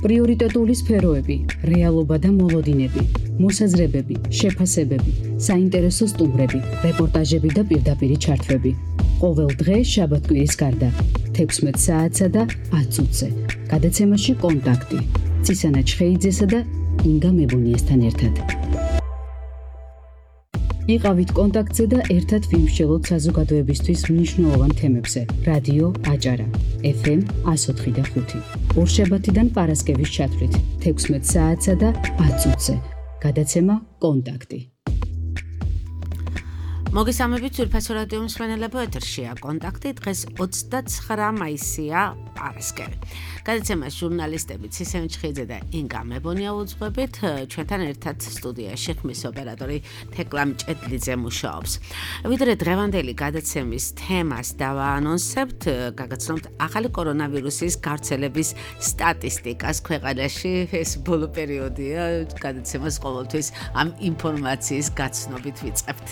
პრიორიტეტული სფეროები, რეალობა და მოლოდინები, მოსაზრებები, შეფასებები, საინტერესო სტუმრები, რეპორტაჟები და პირდაპირი ჩართვები. ყოველ დღე შაბათ-კვირის გარდა 16 საათსა და 10 წუთზე. გადაცემაში კონტაქტი. ცისანა ჩხეიძესა და ინგა მებუნიესთან ერთად. იყავით კონტაქტზე და ერთად ვიმსჯელოთ საზოგადოებისთვის მნიშვნელოვან თემებზე. რადიო აჭარა, FM 104.5. ორშაბათიდან პარასკევის ჩათვლით 16 საათსა და 10 წუთზე. გადაცემა კონტაქტი. მოგესალმებით ძვირფასო რადიო მსმენელებო, ეთერშია კონტაქტი. დღეს 29 მაისია, პარასკევი. გადაცემას ჟურნალისტები ცისანა ჩხეიძე და ინგა მებონია უძღვებით. ჩვენთან ერთად სტუდიაში ხმის ოპერატორი თეკლა მჭედლიძე მუშაობს. ვიდრე დღევანდელი გადაცემის თემას დავაანონსებთ, გაგაცნობთ ახალი კორონავირუსის გავრცელების სტატისტიკას ქვეყანაში. ეს ბოლო პერიოდია, გადაცემას ყოველთვის ამ ინფორმაციის გაცნობით ვიწყებთ.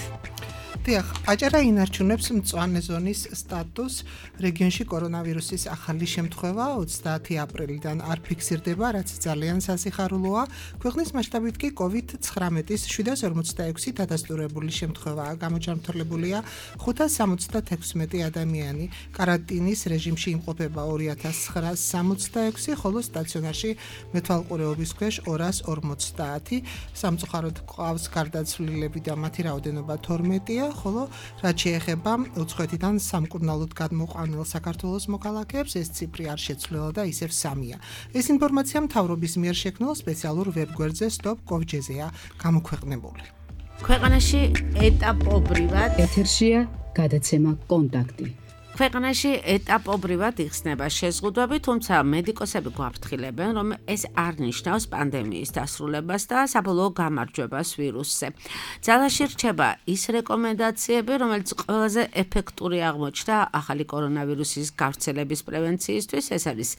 დიახ, აჭარა ინარჩუნებს მწვანე ზონის სტატუსს. რეგიონში კორონავირუსის ახალი შემთხვევა 30 აპრილიდან არ ფიქსირდება, რაც ძალიან სასიხარულოა. ქვეყნის მასშტაბით კი COVID-19-ის 746 დადასტურებული შემთხვევაა გამოჯანმრთელებულია 576 ადამიანი. კარანტინის რეჟიმში იმყოფება 2966, ხოლო სტაციონარში მეთვალყურეობის ქვეშ 250. სამწუხაროდ ყავს გარდაცვლილები და მათი რაოდენობა 12-ია. ხოლო რაც შეეხება უცხოეთიდან სამკურნალოდ გადმოყვანილ საქართველოს მოქალაქეებს, ეს ციფრი არ შეცვლილა და ისევ 3-ია. ეს ინფორმაცია მთავრობის მიერ შექმნილ სპეციალურ ვებგვერდზე stop.gov.gr-ზე გამოქვეყნებული. ქვეყანაში ეტაპობრივად ეთერშია გადაცემა კონტაქტი. ქვეყანაში ეტაპობრივად იხსნება შეზღუდვები, თუმცა მედიკოსები გვაფრთხილებენ, რომ ეს არ ნიშნავს პანდემიის დასრულებას და საბოლოო გამარჯვებას ვირუსზე. ძალაში რჩება ის რეკომენდაციები, რომელიც ყველაზე ეფექტური აღმოჩნდა ახალი კორონავირუსის გავრცელების პრევენციისთვის. ეს არის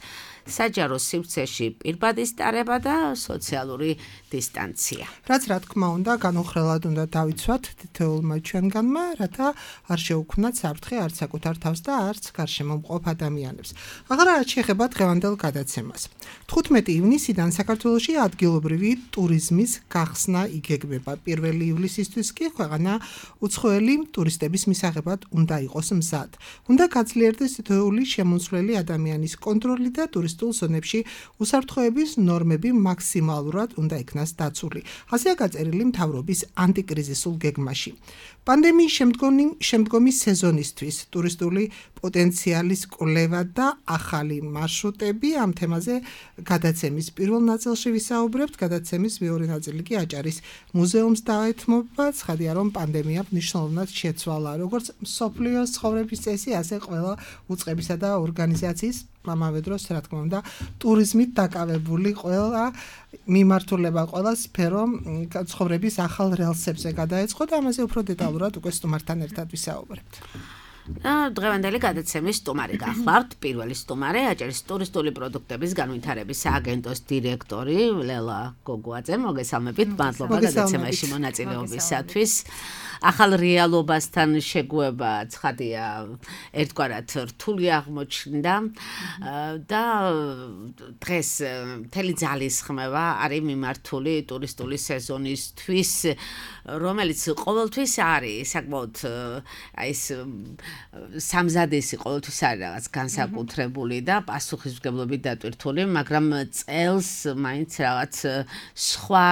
საჯარო სივრცეში პირბადის ტარება და სოციალური დისტანცია. რაც რა თქმა უნდა, განუხრელად უნდა დავიცვათ თითოეულმა ჩვენგანმა, რათა არ შეუქმნათ საფრთხე არც საკუთარ თავს და არც გარშემო მყოფ ადამიანებს. აღარა რაც შეეხება დღევანდელ გადაცემას. 15 ივნისიდან საქართველოში ადგილობრივი ტურიზმის გახსნა იგეგმება. 1 ივლისისთვის კი ქვეყანა უცხოელი ტურისტების მისაღებად უნდა იყოს მზად. უნდა გაძლიერდეს თითოეული შემომცვლელი ადამიანის კონტროლი და ტურისტულ ზონებში უსაფრთხოების ნორმები მაქსიმალურად უნდა იქნას დაცული. ასეა გაწერილი მთავრობის ანტიკრიზისულ გეგმაში. პანდემიის შემდგომი სეზონისთვის ტურისტული პოტენციალის კვლევა და ახალი მარშრუტები. ამ თემაზე გადაცემის პირველ ნაწილში ვისაუბრებთ. გადაცემის მეორე ნაწილი კი აჭარის მუზეუმს დაეთმობა. ცხადია, რომ პანდემია მნიშვნელოვნად შეცვალა როგორც მსოფლიოს ცხოვრების წესი, ასე ყველა უწყებისა და ორგანიზაციის, ამავე დროს, რა თქმა უნდა, ტურიზმით დაკავებული ყველა მიმართულება, ყველა სფერო ცხოვრების ახალ რელსებზე გადაეწყო და ამაზე უფრო დეტალურად უკვე სტუმართან ერთად ვისაუბრებთ. დღევანდელი გადაცემის სტუმარი გახლავთ. პირველი სტუმარი აჭარის ტურისტული პროდუქტების განვითარების სააგენტოს დირექტორი ლელა გოგუაძე. მოგესალმებით, მადლობა გადაცემაში მონაწილეობისათვის. ახალ რეალობასთან შეგუება ცხადია ერთგვარად რთული აღმოჩნდა და დღეს მთელი ძალისხმევა არის მიმართული ტურისტული სეზონისთვის, რომელიც ყოველთვის არის საკმაოდ ეს სამზადისი ყოველთვის არის რაღაც განსაკუთრებული და პასუხისმგებლობით დატვირთული, მაგრამ წელს მაინც რაღაც სხვა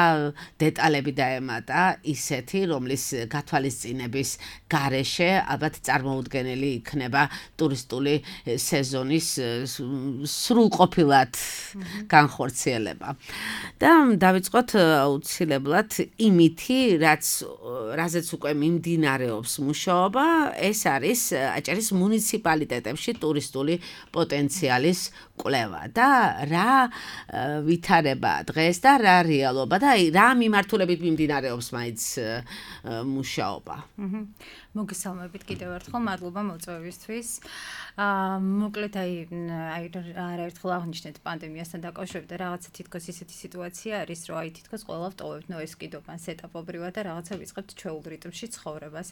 დეტალები დაემატა ისეთი, რომლის გათვალისწინების გარეშე ალბათ წარმოუდგენელი იქნება ტურისტული სეზონის სრულყოფილად განხორციელება. და დავიწყოთ აუცილებლად იმითი, რაზეც უკვე მიმდინარეობს მუშაობა, ეს არის აჭარის მუნიციპალიტეტებში ტურისტული პოტენციალის კვლევა და რა ვითარება დღეს და რა რეალობა და რა მიმართულებით მიმდინარეობს მაინც მუშაობა. მოგესალმებით კიდევ ერთხელ, მადლობა მოწვევისთვის. მოკლედ არაერთხელ აღნიშნეთ პანდემიასთან დაკავშირებით და რაღაცა თითქოს ისეთი სიტუაცია არის, რომ თითქოს ყველა ვტოვებთ ეს კიდობანს ეტაპობრივად და რაღაცა ვიწყებთ ჩვეულ რიტმში ცხოვრებას.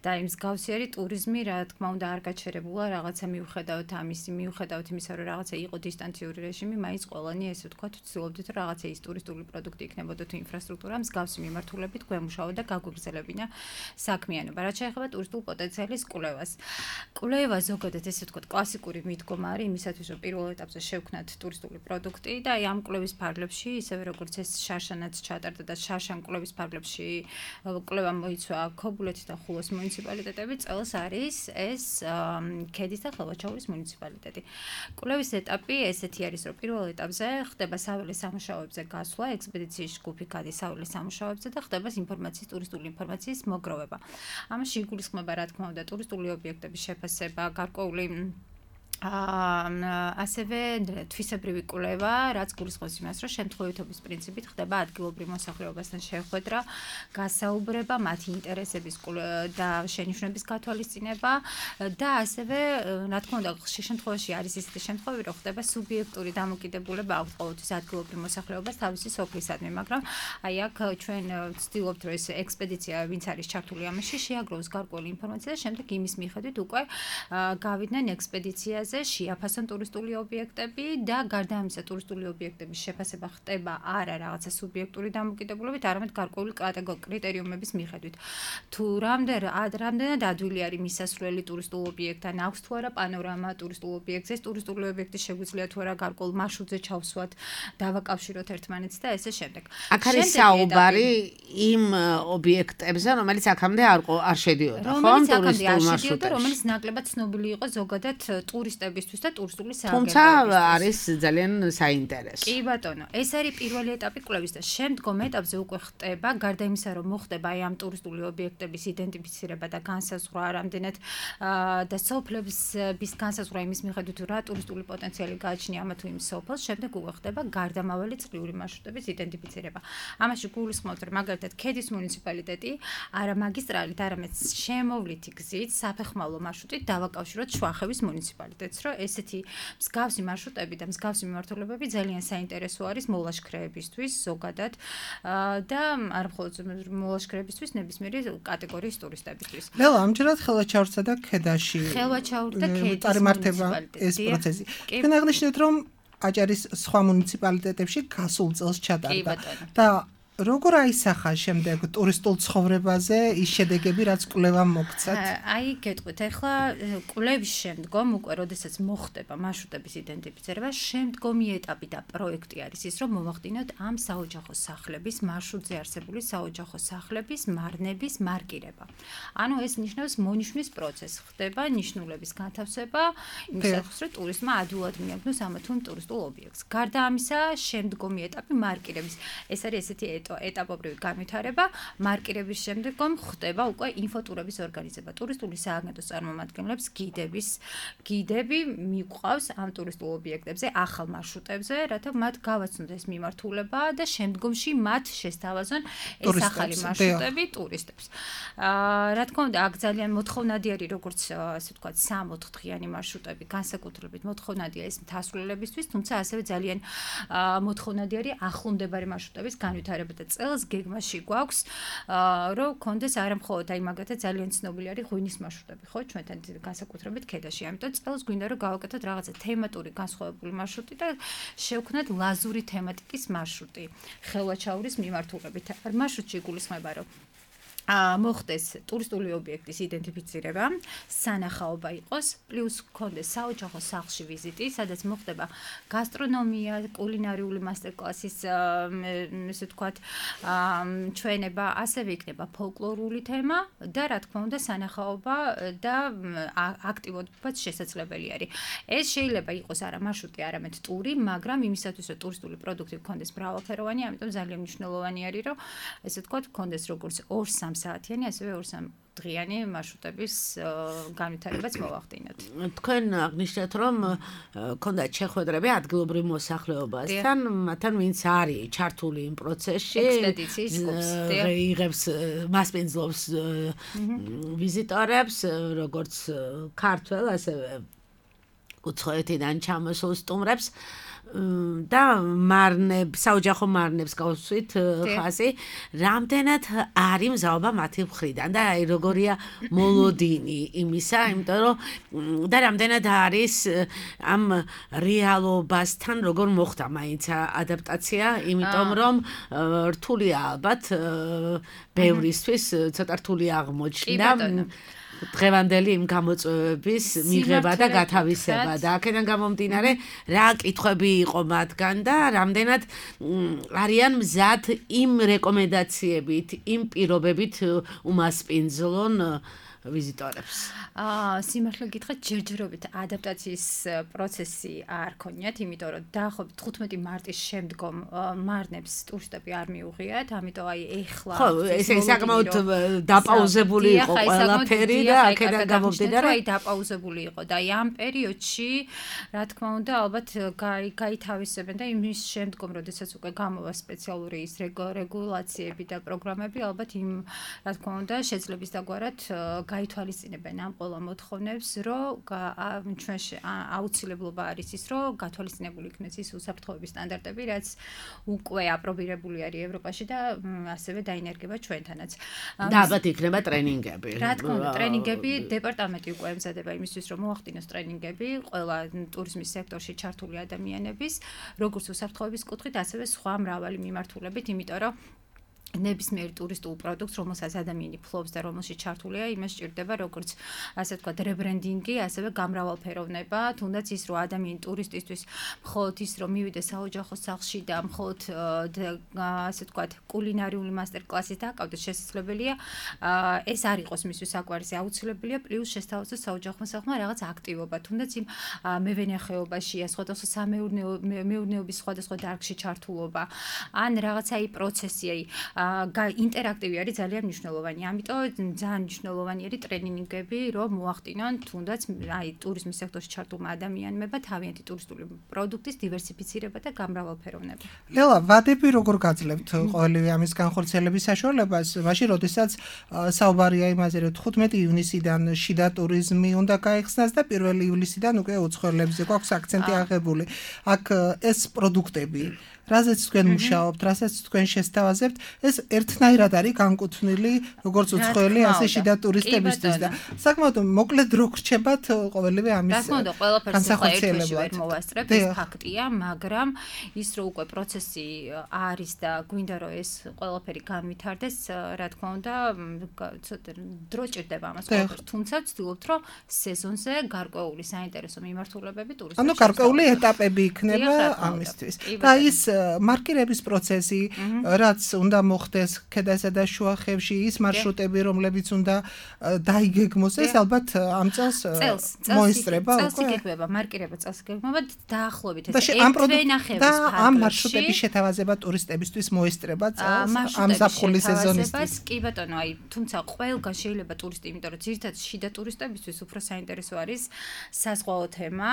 და იმ მსგავსი ტურიზმი, რა თქმა უნდა, არ გაჩერებულა, რაღაცა მიუხედავთ იმისა, რომ რაღაცა იყო დისტანციური რეჟიმი, მაინც ყველანი ესე ვთქვათ, ვცდილობდით, რომ რაღაცა ის ტურისტული პროდუქტი იქნებოდა თუ ინფრასტრუქტურა მსგავსი მიმართულებით გვემუშავა და გაგვიგრძელებინა საქმიანობა. რაც შეეხება ტურისტულ პოტენციალის კვლევას. კვლევა ზოგადად ესე ვთქვათ, კლასიკური მიდგომა არის იმისათვის, რომ პირველ ეტაპზე შევქმნათ ტურისტული პროდუქტი და ამ კვლევის ფარგლებში, ისევე როგორც ეს შარშანაც ჩატარდა და შარშან კვლევის ფარგლებში კვლევა მოიცვა ქობულეთის და ხულოს მუნიციპალიტეტები, წელს არის ეს ქედის და ხელვაჩაურის მუნიციპალიტეტი. კვლევის ეტაპი ესეთი არის, რომ პირველ ეტაპზე ხდება საველე სამუშაოებზე გასვლა, ექსპედიციის ჯგუფი გადის საველე სამუშაოებზე და ხდება ტურისტული ინფორმაციის მოგროვება. ამაში იგულისხმება, რა თქმა უნდა, ტურისტული ობიექტების შეფასება, გარკვეული ასევე თვისებრივი კვლევა, რაც გულისხმობს იმას, რომ შემთხვევითობის პრინციპით ხდება ადგილობრივ მოსახლეობასთან შეხვედრა, გასაუბრება, მათი ინტერესების და შენიშვნების გათვალისწინება და ასევე, რა თქმა უნდა, შემთხვევაში არის ისეთი შემთხვევები, რომ ხდება სუბიექტური დამოკიდებულება აქვს ყოველთვის ადგილობრივ მოსახლეობას თავისი სოფლისადმი, მაგრამ აქ ჩვენ ვცდილობთ, რომ ეს ექსპედიცია, ვინც არის ჩართული ამაში, შეაგროვოს გარკვეული ინფორმაცია და შემდეგ იმის მიხედვით უკვე გავიდნენ ექსპედიციაზე შეაფასონ ტურისტული ობიექტები და გარდა ამისა ტურისტული ობიექტების შეფასება ხდება არა რაღაცა სუბიექტური დამოკიდებულებით, არამედ გარკვეული კრიტერიუმების მიხედვით. თუ რამდენად ადვილი არის მისასვლელი ტურისტულ ობიექტთან, აქვს თუ არა პანორამა ტურისტულ ობიექტზე, ტურისტული ობიექტი შეგვიძლია თუ არა გარკვეულ მარშრუტზე ჩავსვათ, დავაკავშიროთ ერთმანეთს და ესე შემდეგ. აქ არის საუბარი იმ ობიექტებზე, რომელიც აქამდე არ შედიოდა, ხო? ტურისტულ მარშრუტებში, რომელიც ნაკლებად ცნობილი იყო ზოგადად ტურისტებისთვის და ტურისტული სააგენტოებისთვის. თუმცა არის ძალიან საინტერესო. კი ბატონო, ეს არის პირველი ეტაპი კვლევის და შემდგომ ეტაპზე უკვე ხდება, გარდა იმისა, რომ მოხდება ამ ტურისტული ობიექტების იდენტიფიცირება და განსაზღვრა, რამდენად და სოფლების განსაზღვრა იმის მიხედვით, რა ტურისტული პოტენციალი გააჩნია ამა თუ იმ სოფელს, შემდეგ უკვე ხდება გარდამავალი წლიური მარშრუტების იდენტიფიცირება. ამაში გულისხმობთ, რომ მაგალითად ქედის მუნიციპალიტეტი არა მაგისტრალით, არამედ შემოვლითი გზით, საფეხმავლო მარშრუტით დავაკავშიროთ შუახევის მუნიციპალიტეტს, რომ ესეთი მსგავსი მარშრუტები და მსგავსი მიმართულებები ძალიან საინტერესო არის მოლაშქრეებისთვის ზოგადად და არ მხოლოდ მოლაშქრეებისთვის, ნებისმიერი კატეგორიის ტურისტებისთვის. ლელა, ამჯერად ხელვაჩაურსა და ქედაში ხელვაჩაური და ქედის წარმართება ეს პროცესი. თქვენ აღნიშნეთ, რომ აჭარის სხვა მუნიციპალიტეტებში გასულ წელს ჩატარდა და როგორ აისახა შემდეგ ტურისტულ ცხოვრებაზე ის შედეგები, რაც კვლევამ მოგცათ? აი, გეტყვით, ახლა კვლევის შემდგომ უკვე როდესაც მოხდება მარშრუტების იდენტიფიცირება, შემდგომი ეტაპი და პროექტი არის ის, რომ მოვახდინოთ ამ საოჯახო სახლების მარშრუტზე არსებული საოჯახო სახლების მარნების მარკირება. ანუ ეს ნიშნავს მონიშნვის პროცესს, ხდება ნიშნულების განთავსება, იმისათვის, რომ ტურისტმა ადვილად მიაგნოს ამა თუ იმ ტურისტულ ობიექტს. გარდა ამისა, შემდგომი ეტაპი მარკირების. ეს არის ესეთი ეტაპობრივი განვითარება, მარკირების შემდგომ ხდება უკვე ინფოტურების ორგანიზება. ტურისტული სააგენტოს წარმომადგენლებს გიდები მიყვავს ამ ტურისტულ ობიექტებზე, ახალ მარშრუტებზე, რათა მათ გავაცნოთ ეს მიმართულება და შემდგომში მათ შესთავაზონ ეს ახალი მარშრუტები ტურისტებს. რა თქმა უნდა, აქ ძალიან მოთხოვნადი არის, როგორც ასე ვთქვათ, 3-4 დღიანი მარშრუტები, განსაკუთრებით მოთხოვნადია ეს მთასვლილებისთვის, თუმცა ასევე ძალიან მოთხოვნადი არის ახლომდებარე მარშრუტების განვითარება. წელს გეგმაში გვაქვს, რომ კონდეს არა მხოლოდ აი მაგათაც ძალიან ცნობილი არის ღვინის მარშრუტები, ხო, ჩვენთან განსაკუთრებით ქედაში. ამიტომ წელს გვინდა რომ გავაკეთოთ რაღაცა თემატური განსხვავებული მარშრუტი და შევქმნათ ლაზური თემატიკის მარშრუტი ხელვაჩაურის მიმართულებით. მარშრუტში იგულისხმება, რომ მოხდეს ტურისტული ობიექტის იდენტიფიცირება, სანახაობა იყოს, პლუს გქონდეს საოჯახო სახლში ვიზიტი, სადაც მოხდება გასტრონომია, კულინარიული მასტერკლასის, ესე ვთქვათ, ჩვენება, ასევე იქნება ფოლკლორული თემა და რა თქმა უნდა, სანახაობა და აქტივობაც შესაძლებელი არის. ეს შეიძლება იყოს არა მარშრუტი, არამედ ტური, მაგრამ იმისათვის, რომ ტურისტული პროდუქტი გქონდეს მრავალფეროვანი, ამიტომ ძალიან მნიშვნელოვანი არის, რომ ესე ვთქვათ, გქონდეს როგორც 2-3 საათიანი, ასევე 2-3 დღიანი მარშრუტების განვითარებაც მოვახდინოთ. თქვენ აღნიშნეთ, რომ ქონდათ შეხვედრები ადგილობრივ მოსახლეობასთან, მათთან ვინც არის ჩართული იმ პროცესში, ექსპედიციის ჯგუფს, იღებს მასპინძლობს ვიზიტორებს, როგორც ქართველ, ასევე უცხოეთიდან ჩამოსულ სტუმრებს და საოჯახო მარნებს გავსვით ხაზი, რამდენად არის მზაობა მათი მხრიდან და როგორია მოლოდინი იმისა, იმიტომ რომ და რამდენად არის ამ რეალობასთან როგორ მოხდა მაინც ადაპტაცია, იმიტომ რომ რთულია ალბათ ბევრისთვის ცოტა რთული აღმოჩნდა დღევანდელი იმ გამოწვევების მიღება და გათავისება და აქედან გამომდინარე რა კითხვები იყო მათგან და რამდენად არიან მზად იმ რეკომენდაციებით, იმ პირობებით უმასპინძლონ ვიზიტორებს. სიმართლე გითხრათ, ჯერჯერობით ადაპტაციის პროცესი არ ქონიათ, იმიტომ რომ დაახლოებით 15 მარტის შემდგომ მარნებს ტურისტები არ მიუღიათ, ამიტომ აი ეხლა ხო, ესე საკმაოდ დაპაუზებული იყო ყველაფერი და აქედან გამომდინარე აი დაპაუზებული იყო და აი ამ პერიოდში, რა თქმა უნდა, ალბათ გაითავისებენ და იმის შემდგომ, როდესაც უკვე გამოვა სპეციალური ის რეგულაციები და პროგრამები, ალბათ იმ რა თქმა უნდა, შეძლების დაგვარად გაითვალისწინებენ ამ ყველა მოთხოვნებს, რომ ჩვენში აუცილებლობა არის ის, რომ გათვალისწინებული იქნეს ის უსაფრთხოების სტანდარტები, რაც უკვე აპრობირებული არის ევროპაში და ასევე დაინერგება ჩვენთანაც. და ალბათ იქნება ტრენინგები. რა თქმა უნდა, ტრენინგები დეპარტამენტი უკვე ემზადება იმისთვის, რომ მოახდინოს ტრენინგები ყველა ტურიზმის სექტორში ჩართული ადამიანების, როგორც უსაფრთხოების კუთხით, ასევე სხვა მრავალი მიმართულებით, იმიტომ რომ ნებისმიერ ტურისტულ პროდუქტს, რომელსაც ადამიანი ფლობს და რომელშიც ჩართულია, იმას სჭირდება როგორც ასე ვთქვათ, რებრენდინგი, ასევე გამრავალფეროვნება, თუნდაც ის, რომ ადამიანი ტურისტისთვის მხოლოდ ის, რომ მივიდეს საოჯახო სახლში და მხოლოდ ასე ვთქვათ, კულინარიული მასტერკლასით დაკავდეს, შესაძლებელია ეს არ იყოს მისთვის საკვარისი, აუცილებელია პლუს შესთავაზოს საოჯახო სახლმა რაღაც აქტივობა, თუნდაც იმ მევენახეობაში, სხვადასხვა სამეურნეობის სხვადასხვა დარგში ჩართულობა, ან რაღაცა აი პროცესი, აი ინტერაქტივი არის ძალიან მნიშვნელოვანი. ამიტომ ძალიან მნიშვნელოვანი არის ტრენინგები, რომ მოახდინონ თუნდაც აი ტურიზმის სექტორში ჩართულმა ადამიანებმა თავიანთი ტურისტული პროდუქტის დივერსიფიცირება და გამრავალფეროვნება. ლელა, ვადები როგორ გაძლევთ ყოველივე ამის განხორციელების საშუალებას? მაშინ, როდესაც საუბარია იმაზე, რომ 15 ივნისიდან შიდა ტურიზმი უნდა გაიხსნას და 1 ივლისიდან უკვე უცხოელებზე გვაქვს აქცენტი აღებული. აქ ეს პროდუქტები რაზეც თქვენ მუშაობთ, რასაც თქვენ შესთავაზებთ, ეს ერთნაირად არის განკუთვნილი როგორც უცხოელი, ასე შიდა ტურისტებისთვის და საკმაოდ მოკლედ რო გრჩებათ ყოველივე ამის განსახორციელებლად. ვერ მოვასწრებ, ეს ფაქტია, მაგრამ ის რომ უკვე პროცესი არის და გვინდა რომ ეს ყველაფერი განვითარდეს, რა თქმა უნდა, ცოტა დრო ჭირდება ამას ყველაფერს, თუმცა ვცდილობთ რომ სეზონზე გარკვეული საინტერესო მიმართულებები ტურისტებს. ანუ გარკვეული ეტაპები იქნება ამისთვის. და ის მარკირების პროცესი, რაც უნდა მოხდეს ქედასა და შუახევში, ის маршрутები, რომლებიც უნდა დაიგეგმოს, ეს ალბათ ამ წელს მოისწრება უკვე. წელს იგეგმება, მარკირება წელს იგეგმება დაახლოებით ეს ერთვენახევრის და ამ маршрутების შეთავაზება ტურისტებისთვის მოისწრება წელს ამ ზაფხულის სეზონისთვის. კი ბატონო, აი, თუმცა ყველგან შეიძლება ტურისტი, იმიტომ რომ ძირითადად შიდა ტურისტებისთვის უფრო საინტერესო არის საზღვაო თემა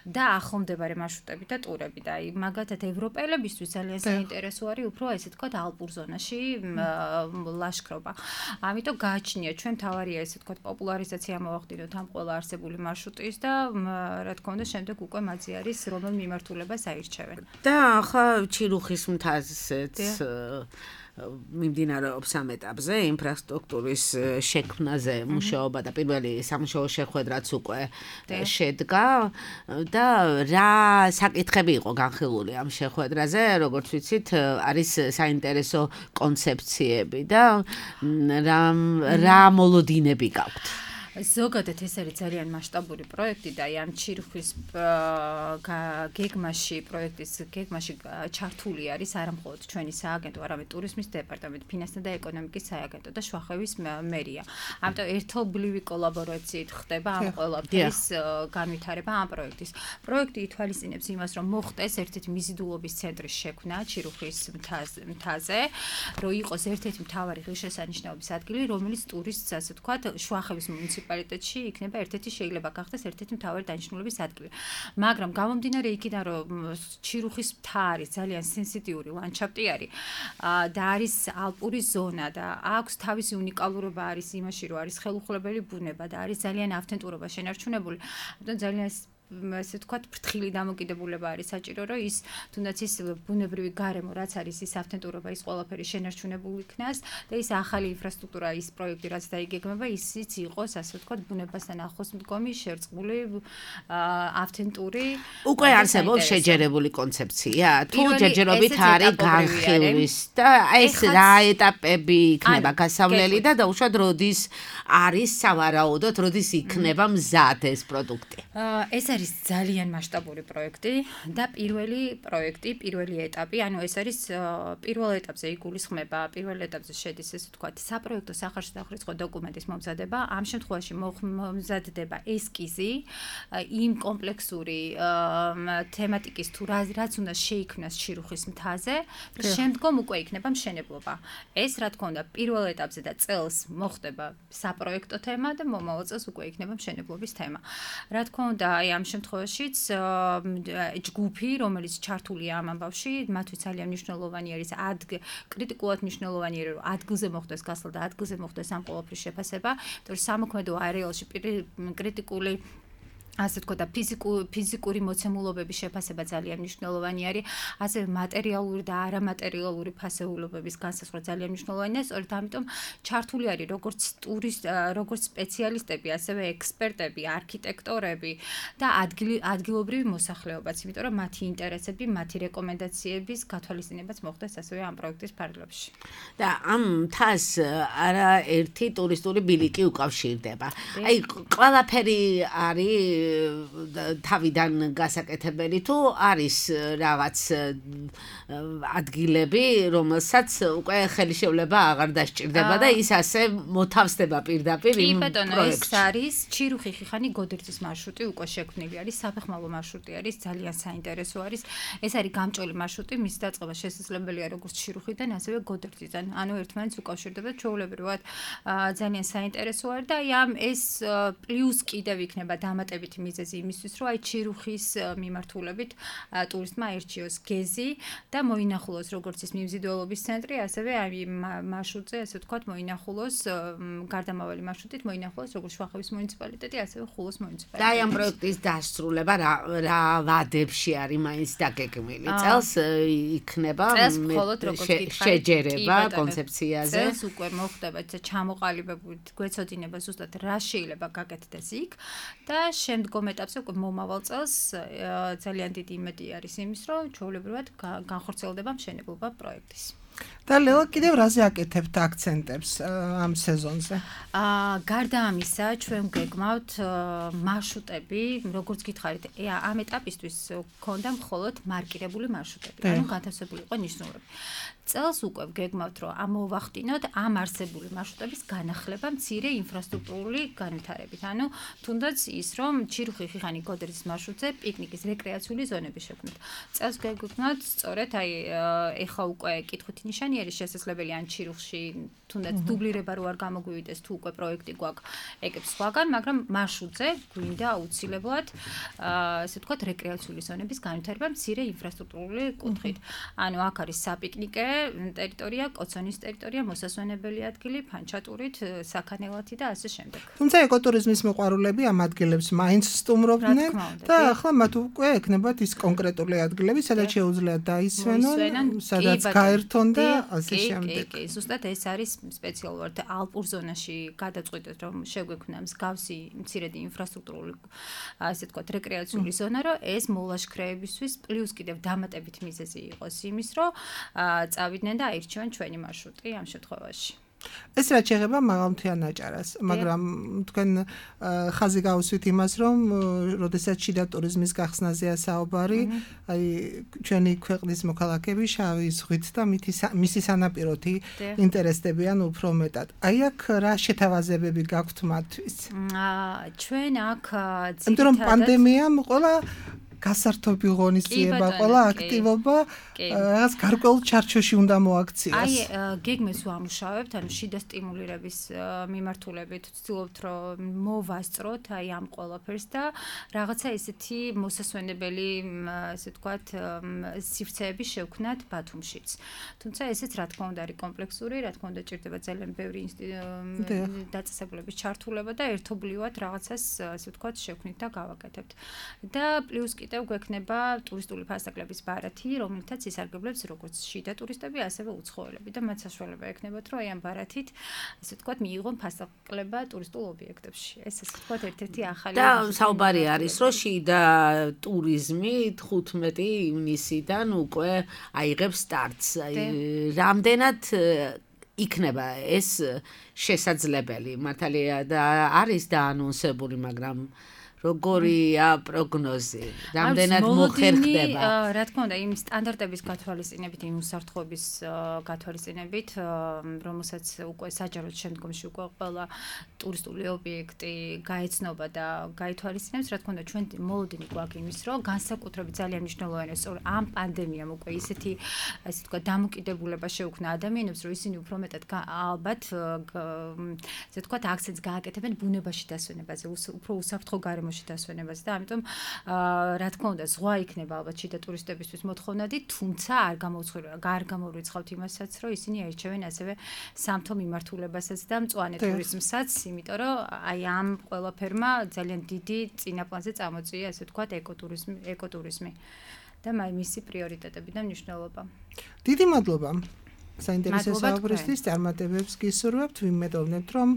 და ახლომდებარე маршрутები და ტურები და აი, მაგათად ევროპელებისთვის ძალიან საინტერესო არის უფრო ესე თქვა ალპურ ზონაში ლაშქრობა. ამიტომ გააჩნია ჩვენ თავარია ესე თქვა პოპულარიზაცია მოვახდინოთ ამ ყველა არსებული მარშრუტის და რა თქმა უნდა შემდეგ უკვე მათი არის რომელ მიმართულებას აირჩევენ. და ახლა ჩირუხის მთაზეც მიმდინარეობს ამ ეტაპზე ინფრასტრუქტურის შექმნაზე მუშაობა და პირველი სამუშაო შეხვედრაც უკვე შედგა და რა საკითხები იყო განხილული ამ შეხვედრაზე, როგორც ვიცით, არის საინტერესო კონცეფციები და რა მოლოდინები გაქვთ. ზოგადად ეს არის ძალიან მასშტაბური პროექტი და ამ ჩირხვის გეგმაში პროექტის გეგმაში ჩართული არის არა მხოლოდ ჩვენი სააგენტო, არამედ ტურიზმის დეპარტამენტი, ფინანსთა და ეკონომიკის სააგენტო და შუახევის მერია. ამიტომ ერთობლივი კოლაბორაციით ხდება ამ ყველაფრის განვითარება ამ პროექტის. პროექტი ითვალისწინებს იმას, რომ მოხდეს ერთ-ერთი მიზიდულობის ცენტრის შექმნა ჩირხვის მთაზე, რომ იყოს ერთ-ერთი მთავარი ღირსშესანიშნაობის ადგილი, რომელიც ტურისტს, ასე ვთქვათ, შუახევის მუნიციპალიტეტში იქნება ერთ-ერთი შეიძლება გახდეს ერთ-ერთი მთავარი დანიშნულების ადგილი. მაგრამ გამომდინარე იქიდან, რომ ჩირხვის მთა არის ძალიან სენსიტიური ლანდშაფტი არის და არის ალპური ზონა და აქვს თავისი უნიკალურობა არის იმაში, რომ არის ხელუხლებელი ბუნება და არის ძალიან ავთენტურობა შენარჩუნებული. ამიტომ ძალიან ასე ვთქვათ, ფრთხილი დამოკიდებულება არის საჭირო, რომ ის თუნდაც ის ბუნებრივი გარემო, რაც არის ის ავთენტურობა, ის ყველაფერი შენარჩუნებული იქნას და ის ახალი ინფრასტრუქტურა, ის პროექტი, რაც დაიგეგმება, ისიც იყოს, ასე ვთქვათ, ბუნებასთან ახლოს მდგომი, შერწყმული, ავთენტური. უკვე არსებობს შეჯერებული კონცეფცია, თუ ჯერჯერობით არის განხილვის და ეს რა ეტაპები იქნება გასავლელი და დაუშვათ როდის არის სავარაუდოდ, როდის იქნება მზად ეს პროდუქტი. ეს არის ძალიან მასშტაბური პროექტი და პირველი ეტაპი, ანუ ეს არის პირველ ეტაპზე იგულისხმება, პირველ ეტაპზე შედის ესე ვთქვათ, საპროექტო სახარში დახურიცხო დოკუმენტის მომზადება, ამ შემთხვევაში მომზადდება ესკიზი იმ კომპლექსური თემატიკის თუ რაც უნდა შეიქმნას ჩირხვის მთაზე, შემდგომ უკვე იქნება მშენებლობა. ეს რა თქმა უნდა პირველ ეტაპზე და წელს მოხდება საპროექტო თემა და მომავალ წელს უკვე იქნება მშენებლობის თემა. რა თქმა უნდა, ამ შემთხვევაშიც ჯგუფი, რომელიც ჩართულია ამ ამბავში, მათთვის ძალიან მნიშვნელოვანი არის კრიტიკულად მნიშვნელოვანი არის, რომ ადგილზე მოხდეს გასვლა და ადგილზე მოხდეს ამ ყველაფრის შეფასება, იმიტომ რომ სამოქმედო არეალში კრიტიკული ასე ვთქვათ და ფიზიკური მოცემულობების შეფასება ძალიან მნიშვნელოვანი არის, ასევე მატერიალური და არამატერიალური ფასეულობების განსაზღვრა ძალიან მნიშვნელოვანია, სწორედ ამიტომ ჩართული არის როგორც სპეციალისტები, ასევე ექსპერტები, არქიტექტორები და ადგილობრივი მოსახლეობაც, იმიტომ რომ მათი ინტერესები, მათი რეკომენდაციების გათვალისწინებაც მოხდეს ასევე ამ პროექტის ფარგლებში. და ამ მთას არაერთი ტურისტული ბილიკი უკავშირდება. აი, ყველაფერი არის თავიდან გასაკეთებელი თუ არის რაღაც ადგილები, რომელსაც უკვე ხელისშეულება აღარ დასჭირდება და ის ასე მოთავსდება პირდაპირ იმ პროექტში. ეს არის ჩირუხი ხიხანი გოდერძის მარშრუტი უკვე შექმნილი არის, საფეხმავლო მარშრუტი არის, ძალიან საინტერესო არის. ეს არის გამჭოლი მარშრუტი, მის დაწყება შესაძლებელია როგორც ჩირუხიდან, ასევე გოდერძიდან. ანუ ერთმანეთს უკავშირდება, ჩვეულებრივად ძალიან საინტერესო არის და ამ ეს პლუს კიდევ იქნება დამატებითი მიზეზი იმისთვის, რომ აი ჩირუხის მიმართულებით ტურისტმა ერჩიოს გეზი და მოინახულოს როგორც ის მიმზიდველობის ცენტრი, ასევე აი მარშრუტზე, ასე ვთქვათ, მოინახულოს გარდამავალი მარშრუტით მოინახულოს როგორც შუახევის მუნიციპალიტეტი, ასევე ხულოს მუნიციპალიტეტი. და აი ამ პროექტის დასრულება რა ვადებში არის მაინც დაგეგმილი? წელს იქნება შეჯერება კონცეფციაზე. წელს უკვე მოხდება ჩამოყალიბებული გვეცოდინება ზუსტად რა შეიძლება გაკეთდეს იქ და შემდგომ ეტაპზე უკვე მომავალ წელს ძალიან დიდი იმედი არის იმის, რომ ჩვეულებრივად განხორციელდება მშენებლობა პროექტის. და ლელა კიდევ რაზე აკეთებთ აქცენტებს ამ სეზონზე? გარდა ამისა, ჩვენ გეგმავთ მარშრუტები, როგორც გითხარით, ამ ეტაპისთვის გქონდა მხოლოდ მარკირებული მარშრუტები, ანუ განთავსებული იყო ნიშნულები. წელს უკვე გეგმავთ, რომ ამოვახდინოთ ამ არსებული მარშრუტების განახლება მცირე ინფრასტრუქტურული განვითარებით. ანუ თუნდაც ის, რომ ჩირუხი ხიხანი გოდერძის მარშრუტზე პიკნიკის რეკრეაციული ზონები შექმნით. წელს გეგმავთ სწორედ აი ეხა უკვე კითხვით ნიშანი არის შესაძლებელი ან ჩირუხში თუნდაც დუბლირება რო არ გამოგვივიდეს თუ უკვე პროექტი გვაქვს ეკებს სხვაგან, მაგრამ მარშრუტზე გვინდა აუცილებლად ასე ვთქვათ რეკრეაციული ზონების განვითარება მცირე ინფრასტრუქტურული კუთხით. ანუ აქ არის საპიკნიკე ტერიტორია, კოცონის ტერიტორია, მოსასვენებელი ადგილი, ფანჩატურით, საქანელათი და ასე შემდეგ. თუმცა ეკოტურიზმის მოყვარულები ამ ადგილებს მაინც სტუმრობდნენ და ახლა მათ უკვე ექნებათ ის კონკრეტული ადგილები, სადაც შეუძლიათ დაისვენონ, სადაც გაერთონ და ასე შემდეგ. კი, ზუსტად ეს არის სპეციალურად ალპურ ზონაში გადაწყვიტეთ, რომ შეგვექმნა მსგავსი მცირედი ინფრასტრუქტურული ასე ვთქვათ რეკრეაციული ზონა, რომ ეს მოლაშქრეებისთვის პლუს კიდევ დამატებით მიზეზი იყოს იმის, რომ წავიდნენ და აირჩიონ ჩვენი მარშრუტი ამ შემთხვევაში. ეს რაც შეეხება მაღალმთიან აჭარას, მაგრამ თქვენ ხაზი გავუსვით იმას, რომ როდესაც შიდა ტურიზმის გახსნაზეა საუბარი, აი ჩვენი ქვეყნის მოქალაქეები შავი ზღვით და მისი სანაპიროთი ინტერესდებიან უფრო მეტად. აი აქ რა შეთავაზებები გაქვთ მათთვის? ჩვენ აქ იმიტომ რომ პანდემიამ ყველა გასართობი ღონისძიება, ყველა აქტივობა რაღაც გარკვეულ ჩარჩოში უნდა მოაქციას. აი, გეგმებს ვამუშავებთ, ანუ შიდა სტიმულირების მიმართულებით ვცდილობთ, რომ მოვასწროთ აი ამ ყველაფერს და რაღაცა ისეთი მოსასვენებელი, ესე ვთქვათ, სივრცეები შევქმნათ ბათუმშიც. თუმცა ესეც რა თქმა უნდა არის კომპლექსური, რა თქმა უნდა ჭირდება ძალიან ბევრი დაწესებულების ჩართულობა და ერთობლივად რაღაცას, ესე ვთქვათ, შევქმნით და გავაკეთებთ. და პლუს კიდევ გვექნება ტურისტული ფასაკლების ბარათი, რომელთაც ისარგებლებს როგორც შიდა ტურისტები, ასევე უცხოელები და მათ საშუალება ექნებათ, რომ აი ამ ბარათით, ასე ვთქვათ, მიიღონ ფასაკლება ტურისტულ ობიექტებში. ეს ასე ვთქვათ, ერთ-ერთი ახალი და საუბარი არის, რომ შიდა ტურიზმი 15 ივნისიდან უკვე აიღებს სტარტს. რამდენად იქნება ეს შესაძლებელი? მართალია და არის დაანონსებული, მაგრამ როგორია პროგნოზი? რამდენად მოხერხდება? რა თქმა უნდა, იმ სტანდარტების გათვალისწინებით, იმ უსაფრთხოების გათვალისწინებით, რომელსაც უკვე საჯაროდ შემდგომში უკვე ყველა ტურისტული ობიექტი გაეცნობა და გაითვალისწინებს, რა თქმა უნდა, ჩვენ მოლოდინი გვაქვს იმის, რომ განსაკუთრებით ძალიან მნიშვნელოვანია, სწორ ამ პანდემიამ უკვე ისეთი, ასე ვთქვათ, დამოკიდებულება შეუქმნა ადამიანებს, რომ ისინი უფრო მეტად ალბათ, ასე ვთქვათ, აქცენტს გააკეთებენ ბუნებაში დასვენებაზე, უფრო უსაფრთხო გარემოში დასვენებას და ამიტომ რა თქმა უნდა ზღვა იქნება ალბათ შიდა ტურისტებისთვის მოთხოვნადი, თუმცა არ გამოვრიცხავთ იმასაც, რომ ისინი აირჩევენ ასევე სამთო მიმართულებასაც და მწვანე ტურიზმსაც, იმიტომ რომ აი ამ ყველაფერმა ძალიან დიდი წინაპლანზე წამოწია, ასე ვთქვათ, ეკოტურიზმი და მისი პრიორიტეტები და მნიშვნელობა. დიდი მადლობა საინტერესო საუბრისთვის, წარმატებებს გისურვებთ, ვიმედოვნებთ, რომ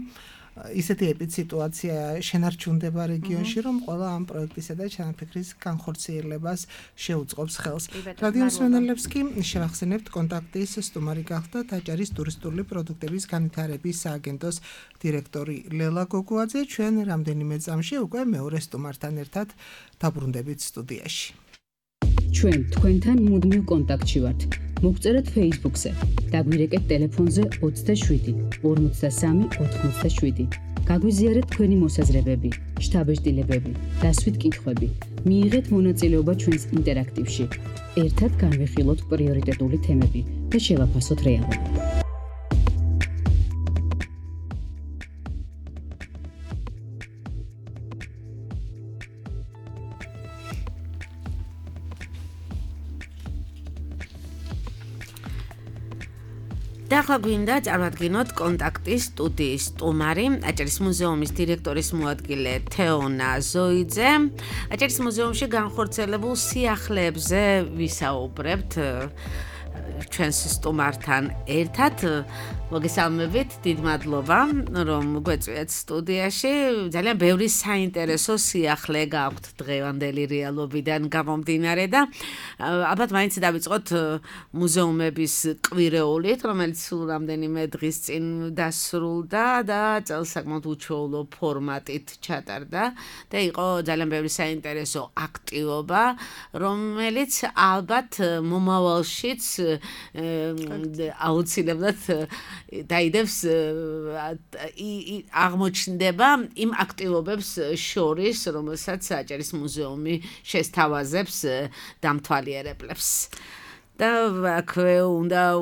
ისეთი ეპიციტუაცია შენარჩუნდება რეგიონში, რომ ყველა ამ პროექტისა და ჩანაფიქრის განხორციელებას შეუწყობს ხელს. რადიო მსმენელებს კი შევახსენებთ კონტაქტის სტუმარი გახდა აჭარის ტურისტული პროდუქტების განვითარების სააგენტოს დირექტორი ლელა გოგუაძე. ჩვენ რამდენიმე წამში უკვე მეორე სტუმართან ერთად დაბრუნდებით სტუდიაში. ჩვენ თქვენთან მუდმივ კონტაქტში ვართ. მოგწერეთ Facebook-ზე, დაგვირეკეთ ტელეფონზე 27 53 87. გაგვიზიარეთ თქვენი მოსაზრებები, შთაბეჭდილებები, დასვით კითხვები. მიიღეთ მონაწილეობა ჩვენს ინტერაქტივში. ერთად განვიხილოთ პრიორიტეტული თემები და შევაფასოთ რეალობა. და ახლა გვინდა წარმატგინოთ კონტაქტის სტუდიის სტუმარი, აჭარის მუზეუმის დირექტორის მოადგილე თეონა ზოიძე. აჭარის მუზეუმში განხორციელებულ სიახლეებზე ვისაუბრებთ ჩვენს სტუმართან ერთად. მოგესალმებით, დიდ მადლობა, რომ გვეწვიათ სტუდიაში. ძალიან ბევრი საინტერესო სიახლე გაქვთ დღევანდელი რეალობიდან გამომდინარე და ალბათ მაინც დავიწყოთ მუზეუმების კვირეულით, რომელიც სულ რამდენიმე დღის წინ დასრულდა და წელს საკმაოდ უჩვეულო ფორმატით ჩატარდა და იყო ძალიან ბევრი საინტერესო აქტივობა, რომელიც ალბათ მომავალშიც აუცილებლად დაიდებს აღმოჩნდება იმ აქტივობებს შორის, რომელსაც აჭარის მუზეუმი შესთავაზებს დამთვალიერებლებს. და აქვე უნდა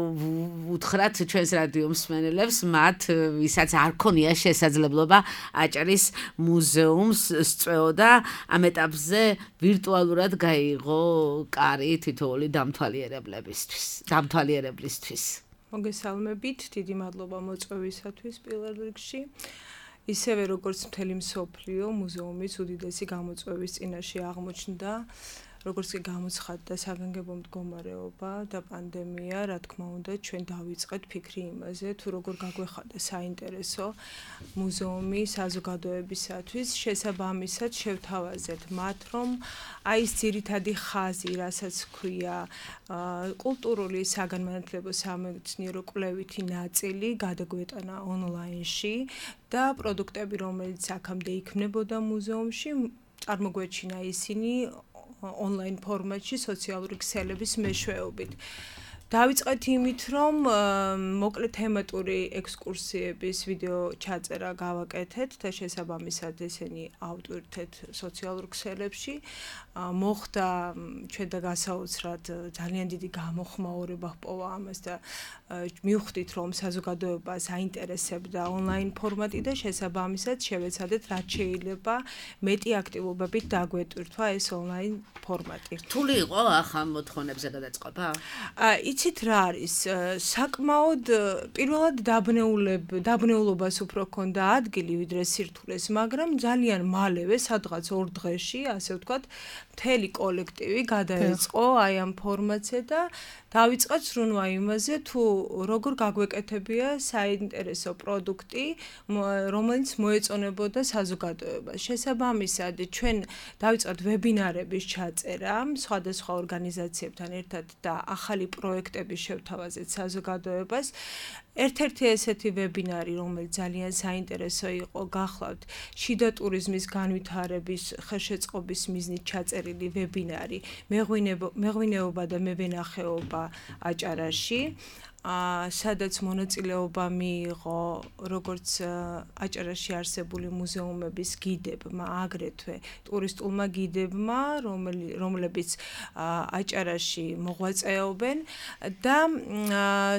უთხრათ ჩვენს რადიო მსმენელებს, მათ ვისაც არ ქონია შესაძლებლობა აჭარის მუზეუმს სწვეოდა, ამ ეტაპზე ვირტუალურად გაიღო კარი თითოეული დამთვალიერებლისთვის. მოგესალმებით, დიდი მადლობა მოწვევისათვის პირველ რიგში. ისევე როგორც მთელი მსოფლიო, მუზეუმის უდიდესი გამოწვევის წინაშე აღმოჩნდა როგორც კი გამოცხადდა საგანგებო მდგომარეობა და პანდემია, რა თქმა უნდა, ჩვენ დავიწყეთ ფიქრი იმაზე, თუ როგორ გაგვეხადა საინტერესო მუზეუმი საზოგადოებისათვის, შესაბამისად შევთავაზეთ მათ, რომ აი ეს ძირითადი ხაზი, რასაც ქვია, კულტურული საგანმანათლებლო სამეცნიერო კვლევითი ნაწილი გადაგვეტანა ონლაინში და პროდუქტები, რომელიც აქამდე იქმნებოდა მუზეუმში, წარმოგვეჩინა ისინი ონლაინ ფორმატში სოციალური ქსელების მეშვეობით. დავიწყეთ იმით, რომ მოკლე თემატური ექსკურსიების ვიდეო ჩაწერა გავაკეთეთ და შესაბამისად ესენი ავტვირთეთ სოციალურ ქსელებში. მოხდა ჩვენ და გასაოცრად ძალიან დიდი გამოხმაურება ჰპოვა ამას და მივხვდით, რომ საზოგადოებას აინტერესებდა ონლაინ ფორმატი და შესაბამისად შევეცადეთ, რაც შეიძლება მეტი აქტივობებით დაგვეტვირთვა ეს ონლაინ ფორმატი. რთული იყო ახლა მოთხოვნებზე გადაწყობა? იცით რა არის, საკმაოდ პირველად დაბნეულობას უფრო ჰქონდა ადგილი ვიდრე სირთულეს, მაგრამ ძალიან მალევე, სადღაც 2 დღეში, ასე ვთქვათ, მთელი კოლექტივი გადაეწყო აი ამ ფორმატზე და დავიწყეთ სრუნვა იმაზე, თუ როგორ გაგვეკეთებია საინტერესო პროდუქტი, რომელიც მოეწონებოდა საზოგადოებას. შესაბამისად, ჩვენ დავიწყეთ ვებინარების ჩაწერა სხვადასხვა ორგანიზაციებთან ერთად და ახალი პროექტები შევთავაზეთ საზოგადოებას. ერთ-ერთი ესეთი ვებინარი, რომელიც ძალიან საინტერესო იყო, გახლავთ შიდა ტურიზმის განვითარების ხელშეწყობის მიზნით ჩაწერილი ვებინარი მეღვინეობა და მევენახეობა აჭარაში. სადაც მონაწილეობა მიიღო როგორც აჭარაში არსებული მუზეუმების გიდებმა, აგრეთვე ტურისტულმა გიდებმა, რომლებიც აჭარაში მოღვაწეობენ და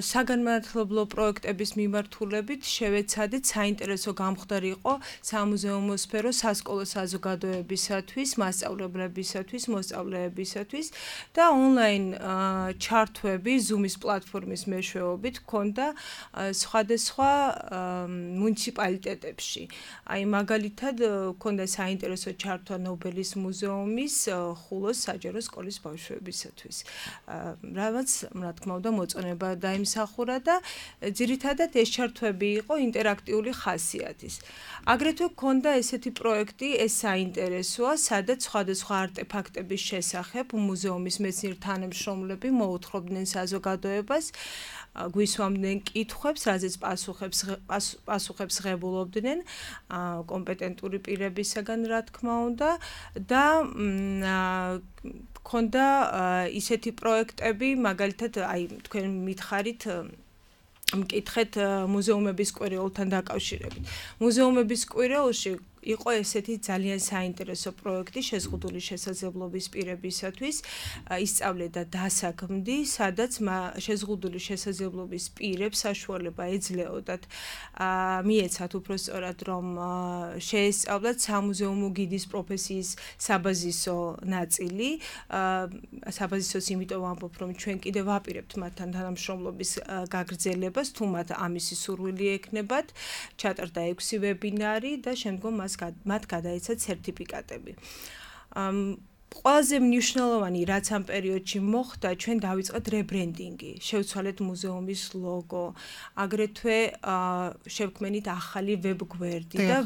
საგანმანათლებლო პროექტების მიმართულებით შევეცადეთ საინტერესო გამხდარი იყო სამუზეუმო სფერო სასკოლო საზოგადოებისათვის, მასწავლებლებისათვის, მოსწავლეებისათვის და ონლაინ ჩართვები Zoom-ის პლატფორმის მეშვეობით ჰქონდა სხვადასხვა მუნიციპალიტეტებში. აი მაგალითად ჰქონდა საინტერესო ჩართვა ნობელის მუზეუმის ხულოს საჯარო სკოლის ბავშვებისათვის. რაც რა თქმა უნდა მოწონება დაიმსახურა და ძირითადად ეს ჩართვები იყო ინტერაქტიული ხასიათის. აგრეთვე ჰქონდა ესეთი პროექტი, ეს საინტერესოა, სადაც სხვადასხვა არტეფაქტების შესახებ მუზეუმის მეცნიერ თანამშრომლები მოუთხრობდნენ საზოგადოებას, გვისვამდნენ კითხვებს, რაზეც პასუხებს ღებულობდნენ კომპეტენტური პირებისაგან, რა თქმა უნდა და ჰქონდა ისეთი პროექტები, მაგალითად, აი თქვენ მითხარით მკითხეთ მუზეუმების კვირეულთან დაკავშირებით. მუზეუმების კვირეულში იყო ესეთი ძალიან საინტერესო პროექტი შეზღუდული შესაძლებლობის პირებისათვის, ისწავლე და დასაქმდი, სადაც შეზღუდული შესაძლებლობის პირებს საშუალება ეძლეოდათ მიეცათ უпростоრად, რომ შეესწავლათ სამუზეუმო გიდის პროფესიის საბაზისო ნაწილი. საბაზისოს იმიტომ ვამბობ, რომ ჩვენ კიდევ ვაპირებთ მათთან თანამშრომლობის გაგრძელებას, თუ მათ ამისი სურვილი ექნებათ. ჩატარდა 6 ვებინარი და შემდგომ მათ გადაეცათ სერტიფიკატები. ყველაზე მნიშვნელოვანი, რაც ამ პერიოდში მოხდა, ჩვენ დავიწყეთ რებრენდინგი, შევცვალეთ მუზეუმის ლოგო, აგრეთვე შევქმნით ახალი ვებგვერდი და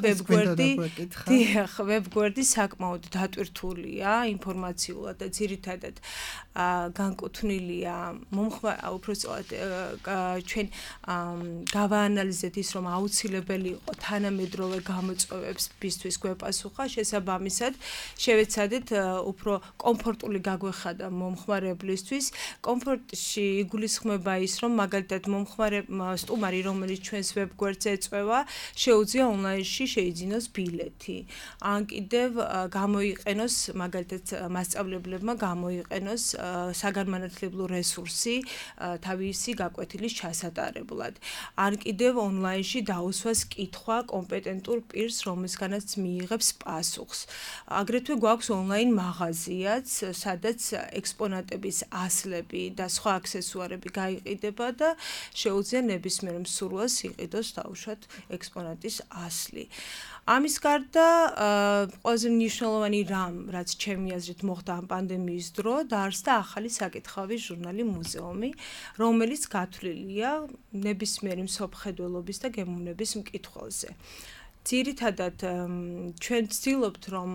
ვებგვერდი საკმაოდ დატვირთულია ინფორმაციულად და ძირითადად განკუთვნილია უпростоრად ჩვენ გავაანალიზეთ ის, რომ აუცილებელი იყო თანამედროვე გამოწვევებისთვის გვეპასუხა, შესაბამისად შევეცადეთ უფრო კომფორტული გაგვეხადა მომხმარებლისთვის. კომფორტში იგულისხმება ის, რომ მაგალითად სტუმარი, რომელიც ჩვენს ვებგვერდზე ეწვევა, შეუძლია ონლაინში შეიძინოს ბილეთი. ან კიდევ გამოიყენოს, მაგალითად მასწავლებლებმა გამოიყენოს საგანმანათლებლო რესურსი თავისი გაკვეთილის ჩასატარებლად. ან კიდევ ონლაინში დაუსვას კითხვა კომპეტენტურ პირს, რომელსგანაც მიიღებს პასუხს. აგრეთვე გვაქვს ონლაინ მაღაზია, მაღაზიაც, სადაც ექსპონატების ასლები და სხვა აქსესუარები გაიყიდება და შეუძლია ნებისმიერ მსურველს იყიდოს დაუშვათ ექსპონატის ასლი. ამის გარდა ყველაზე მნიშვნელოვანი რამ, რაც ჩემი აზრით მოხდა ამ პანდემიის დრო, დაარსდა ახალი საკითხავი ჟურნალი მუზეუმი, რომელიც გათვლილია ნებისმიერი მსოფლმხედველობის და გემოვნების მკითხველზე. ძირითადად ჩვენ ვცდილობთ, რომ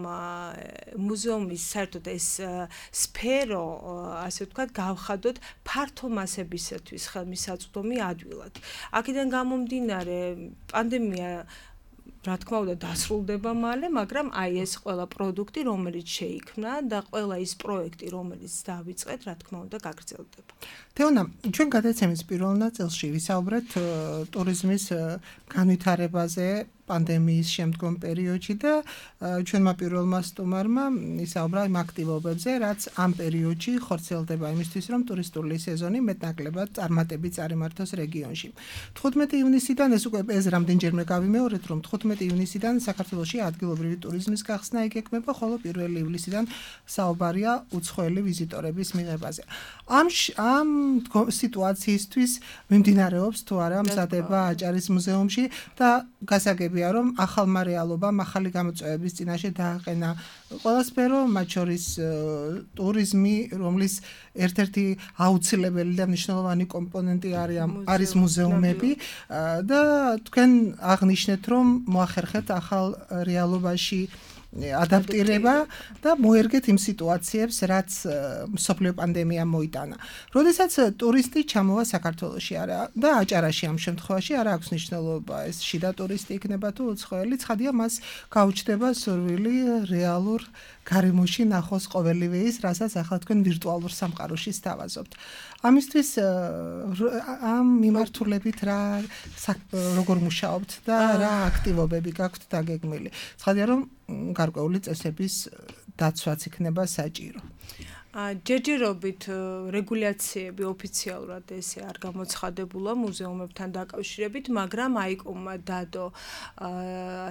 მუზეუმის საერთოდ ეს სფერო, ასე ვთქვათ, გავხადოთ ფართო მასებისათვის ხელმისაწვდომი ადვილად. აქედან გამომდინარე, პანდემია რა თქმა უნდა დასრულდება მალე, მაგრამ აი ეს ყველა პროდუქტი, რომელიც შეიქმნა და ყველა ის პროექტი, რომელიც დავიწყეთ, რა თქმა უნდა გაგრძელდება. თეონა, ჩვენ გადაცემის პირველ ნაწილში ვისაუბრეთ ტურიზმის განვითარებაზე პანდემიის შემდგომ პერიოდში და ჩვენმა პირველმა სტუმარმა ისაუბრა იმ აქტივობებზე, რაც ამ პერიოდში ხორციელდება იმისთვის, რომ ტურისტული სეზონი მეტნაკლებად წარმატებით წარიმართოს რეგიონში. 15 ივნისიდან ეს უკვე ეს რამდენჯერმე გავიმეორეთ, რომ 15 ივნისიდან საქართველოში ადგილობრივი ტურიზმის გახსნა იგეგმება, ხოლო 1 ივლისიდან საუბარია უცხოელი ვიზიტორების მიღებაზე. ამ სიტუაციისთვის მიმდინარეობს თუ არა მზადება აჭარის მუზეუმში და გასაგებია, რომ ახალმა რეალობამ ახალი გამოწვევების წინაშე დააყენა ყველა სფერო, მათ შორის ტურიზმი, რომლის ერთ-ერთი აუცილებელი და მნიშვნელოვანი კომპონენტი არის მუზეუმები და თქვენ აღნიშნეთ, რომ მოახერხეთ ახალ რეალობაში ადაპტირება და მოერგეთ იმ სიტუაციებს, რაც მსოფლიო პანდემია მოიტანა. როდესაც ტურისტი ჩამოვა საქართველოში და აჭარაში ამ შემთხვევაში არ აქვს მნიშვნელობა ეს შიდა ტურისტი იქნება თუ უცხოელი, ცხადია მას გაუჩნდება სურვილი რეალურ გარემოში ნახოს ყოველივე ის, რასაც ახლა თქვენ ვირტუალურ სამყაროში სთავაზობთ. ამისთვის ამ მიმართულებით როგორ მუშაობთ და რა აქტივობები გაქვთ დაგეგმილი? ცხადია, რომ გარკვეული წესების დაცვაც იქნება საჭირო. ჯერჯერობით რეგულაციები ოფიციალურად ესე არ გამოცხადებულა მუზეუმებთან დაკავშირებით, მაგრამ აიკომმა დადო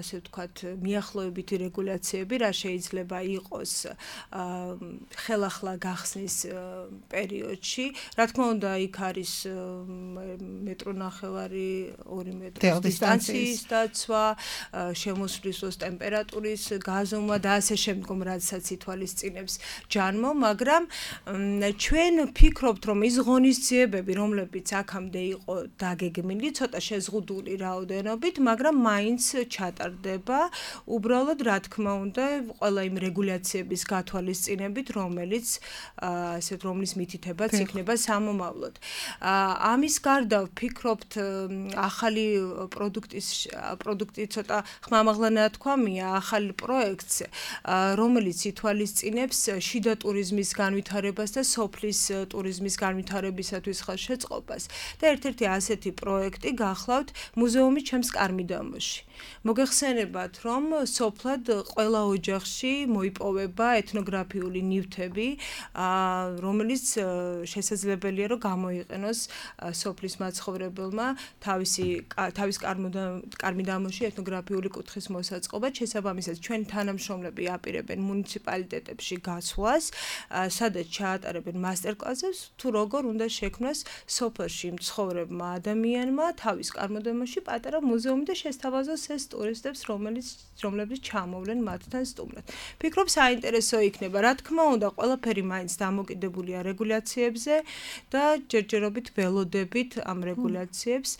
ასე ვთქვათ მიახლოებითი რეგულაციები, რა შეიძლება იყოს ხელახლა გახსნის პერიოდში. რა თქმა უნდა, იქ არის მეტრონახევარი 2 მეტრის დისტანციის დაცვა, შემოსვლისოს ტემპერატურის გაზომვა და ასე შემდგომ, რაცაც ითვალისწინებს ჯანმო, მაგრამ ჩვენ ვფიქრობთ, რომ ის ღონისძიებები, რომლებიც აქამდე იყო დაგეგმილი, ცოტა შეზღუდული რაოდენობით, მაგრამ მაინც ჩატარდება, უბრალოდ რა თქმა უნდა, ყველა იმ რეგულაციების გათვალისწინებით, რომლის მითითებაც იქნება სამომავლოდ. ამის გარდა ვფიქრობთ, ახალი პროდუქტი ცოტა ხმამაღლა ნათქვამია, ახალი პროექტს, რომელიც ითვალისწინებს შიდა ტურიზმის განვითარებას და სოფლის ტურიზმის განვითარებისათვის ხელშეწყობას და ერთ-ერთი ასეთი პროექტი გახლავთ მუზეუმი ჩემს კარმიდამოში. მოგეხსენებათ, რომ სოფლად ყველა ოჯახში მოიპოვება ეთნოგრაფიული ნივთები, რომელიც შესაძლებელია, რომ გამოიყენოს სოფლის მაცხოვრებელმა თავის კარმიდამოში ეთნოგრაფიული კუთხის მოსაწყობად. შესაბამისად, ჩვენ თანამშრომლები აპირებენ მუნიციპალიტეტებში გასვლას, სადაც ჩაატარებენ მასტერკლასებს, თუ როგორ უნდა შექმნას სოფელში მცხოვრებმა ადამიანმა თავის კარმიდამოში პატარა მუზეუმი და შესთავაზოს ეს ტურისტებს, რომლებიც ჩამოვლენ მათთან სტუმრად. ვფიქრობ, საინტერესო იქნება. რა თქმა უნდა, ყველაფერი მაინც დამოკიდებულია რეგულაციებზე და ჯერჯერობით ველოდებით ამ რეგულაციებს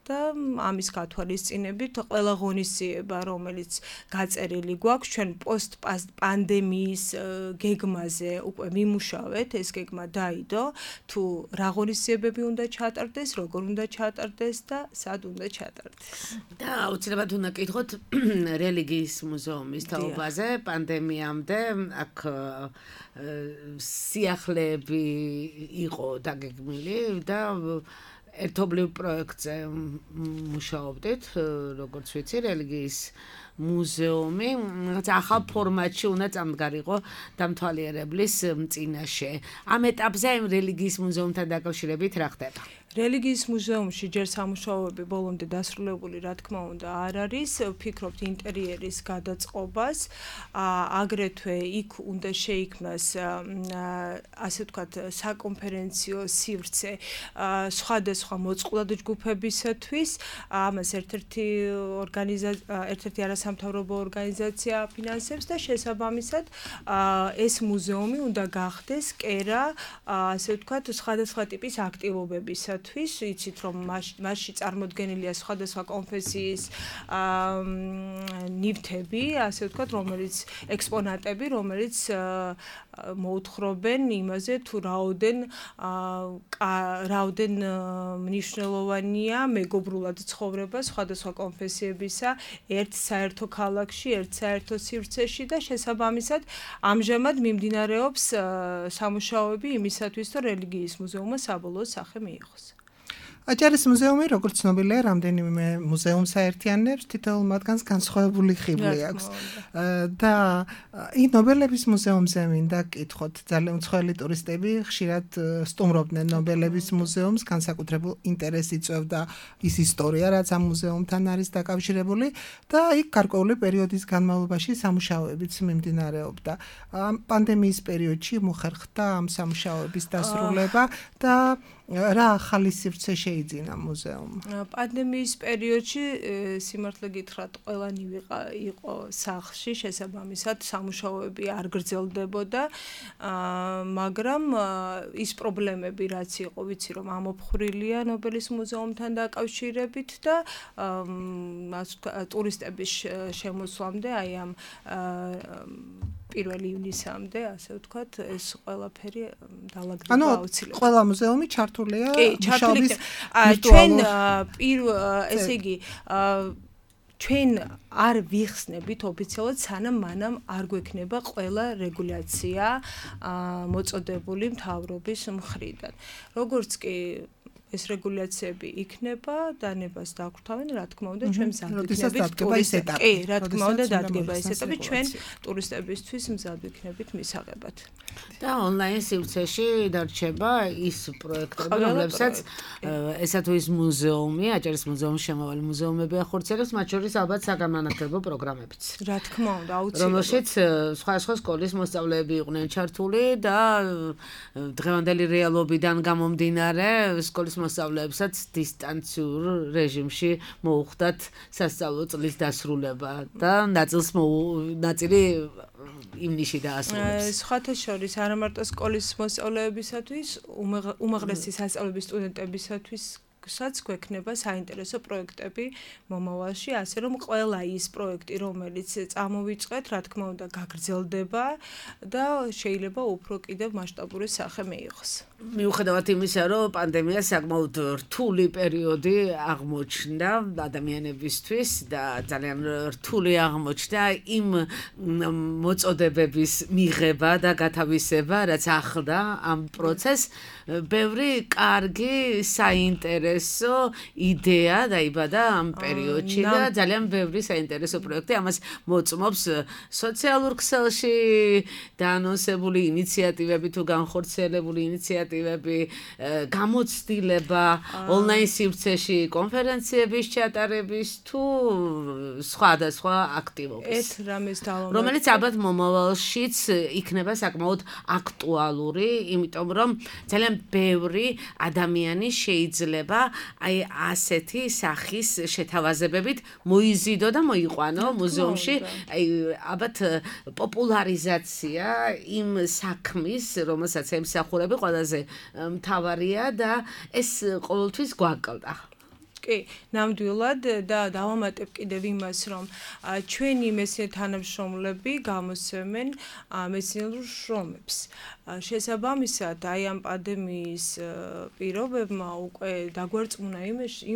და ამის გათვალისწინებით ყველა ღონისძიება, რომელიც გაწერილი გვაქვს, ჩვენ პოსტ-პანდემიის გეგმაზე უკვე ვიმუშავეთ, ეს გეგმა დაიდო, თუ რა ღონისძიებები უნდა ჩატარდეს, როგორ უნდა ჩატარდეს და სად უნდა ჩატარდეს. და აუცილებლად უნდა კითხოთ რელიგიის მუზეუმის თაობაზე, პანდემიამდე აქ სიახლეები იყო დაგეგმილი და ერთობლივ პროექტზე მუშაობდით, როგორც ვიცი, რელიგიის მუზეუმი ახალ ფორმატში უნდა წამდგარიყო დამთვალიერებლის წინაშე. ამ ეტაპზე იმ რელიგიის მუზეუმთან დაკავშირებით რა ხდება? რელიგიის მუზეუმში ჯერ სამუშაოები ბოლომდე დასრულებული, რა თქმა უნდა, არ არის. ვფიქრობთ ინტერიერის გადაწყობას, აგრეთვე იქ უნდა შეიქმნას ასე ვთქვათ, საკონფერენციო სივრცე სხვადასხვა მოწყვლად ჯგუფებისათვის. ამას ერთ-ერთი არასამთავრობო ორგანიზაცია ფინანსებს და შესაბამისად ეს მუზეუმი უნდა გახდეს კერა, ასე ვთქვათ, სხვადასხვა ტიპის აქტივობებისათვის. იცით რომ მასში წარმოდგენილია სხვადასხვა კონფესიის ნივთები, ასე ვთქვათ, რომელიც ექსპონატები, რომელიც მოუთხრობენ იმაზე თუ რაოდენ მნიშვნელოვანია მეგობრულად ცხოვრება სხვადასხვა კონფესიებისა ერთ საერთო ქალაქში, ერთ საერთო სივრცეში და შესაბამისად ამჟამად მიმდინარეობს სამუშაოები იმისათვის, რომ რელიგიის მუზეუმმა საბოლოო სახე მიიღოს. აჭარის მუზეუმი, როგორც ცნობილია, რამდენიმე მუზეუმს აერთიანებს, თითოეულ მათგანს განსხვავებული ხიბლი აქვს. და ნობელების მუზეუმზე მინდა გკითხოთ, ძალიან მსხვილი ტურისტები ხშირად სტუმრობდნენ ნობელების მუზეუმს, განსაკუთრებულ ინტერესს იწვევდა ის ისტორია, რაც ამ მუზეუმთან არის დაკავშირებული და იქ გარკვეული პერიოდის განმავლობაში სამუშაოებიც მიმდინარეობდა. პანდემიის პერიოდში მოხერხდა ამ სამუშაოების დასრულება და რა ახალი სივრცე შეიძინა მუზეუმმა? პანდემიის პერიოდში სიმართლე გითხრათ, ყველანი იყო სახლში, შესაბამისად სამუშაოები არ გრძელდებოდა, მაგრამ ის პრობლემები, რაც იყო, ვიცი რომ ამოფხრილია ნობელის მუზეუმთან დაკავშირებით და ტურისტების შემოსვლამდე, აი ამ 1 ივნისამდე, ასე ვთქვათ, ეს ყველაფერი დაალაგდება აუცილებლად. ყველა მუზეუმი ჩართულია მუშაობის ჩვენ ესე იგი ჩვენ არ ვიხსნებით ოფიციალურად, სანამ მანამ არ გვექნება ყველა რეგულაცია მოწოდებული მთავრობის მხრიდან. როგორც კი ეს რეგულაციები იქნება, დანებას დაგვთავენ, რა თქმა უნდა, ჩვენ მზად ვიქნებით ტურისტებს. კი, რა თქმა უნდა, დადგება ეს ეტაპი, ჩვენ ტურისტებისთვის მზად ვიქნებით მისაღებად. და ონლაინ სივრცეში დარჩება ის პროექტები, რომლებსაც ესა თუ ის მუზეუმი, აჭარის მუზეუმის შემავალი მუზეუმები ახორციელებს, მათ შორის ალბათ საგანმანათლებლო პროგრამებიც. რა თქმა უნდა, აუცილებლად. რომელშიც სხვა სკოლის მოსწავლეები იყვნენ ჩართული და დღევანდელი რეალობიდან გამომდინარე სკოლის მოსწავლეებსაც დისტანციურ რეჟიმში მოუხდათ სასწავლო წლის დასრულება და ნაწილი ივნისში დაასრულებს. სხვათა შორის არა მარტო სკოლის მოსწავლეებისათვის, უმაღლესი სასწავლებლის სტუდენტებისათვის გვექნება საინტერესო პროექტები მომავალში, ასე რომ ყველა ის პროექტი, რომელიც წამოვიწყეთ, რა თქმა უნდა, გაგრძელდება და შეიძლება უფრო კიდევ მასშტაბური სახე მიიღოს. მიუხედავად იმისა, რომ პანდემია საკმაოდ რთული პერიოდი აღმოჩნდა ადამიანებისთვის და ძალიან რთული აღმოჩნდა იმ მოწოდებების მიღება და გათავისება, რაც ახლდა ამ პროცესს, ბევრი კარგი საინტერესო იდეა დაიბადა ამ პერიოდში და ძალიან ბევრი საინტერესო პროექტი ამას მოწმობს სოციალურ ქსელში დაანონსებული ინიციატივები თუ განხორციელებული ინიციატივები, გამოცდილება ონლაინ სივრცეში კონფერენციების ჩატარების თუ სხვადასხვა აქტივობების. რომელიც ალბათ მომავალშიც იქნება საკმაოდ აქტუალური, იმიტომ რომ ძალიან ბევრი ადამიანი შეიძლება აი ასეთი სახის შეთავაზებებით მოიზიდო და მოიყვანო მუზეუმში, აი ალბათ პოპულარიზაცია იმ საქმის, რომელსაც ემსახურები ყველაზე მთავარია და ეს ყოველთვის გვაკლდა. კი, ნამდვილად და დავამატებ კიდევ იმას, რომ ჩვენი მეცნიერ თანამშრომლები გამოსცემენ მეცნიერულ შრომებს. შესაბამისად, აი ამ პანდემიის პირობებმა უკვე დაგვერწმუნა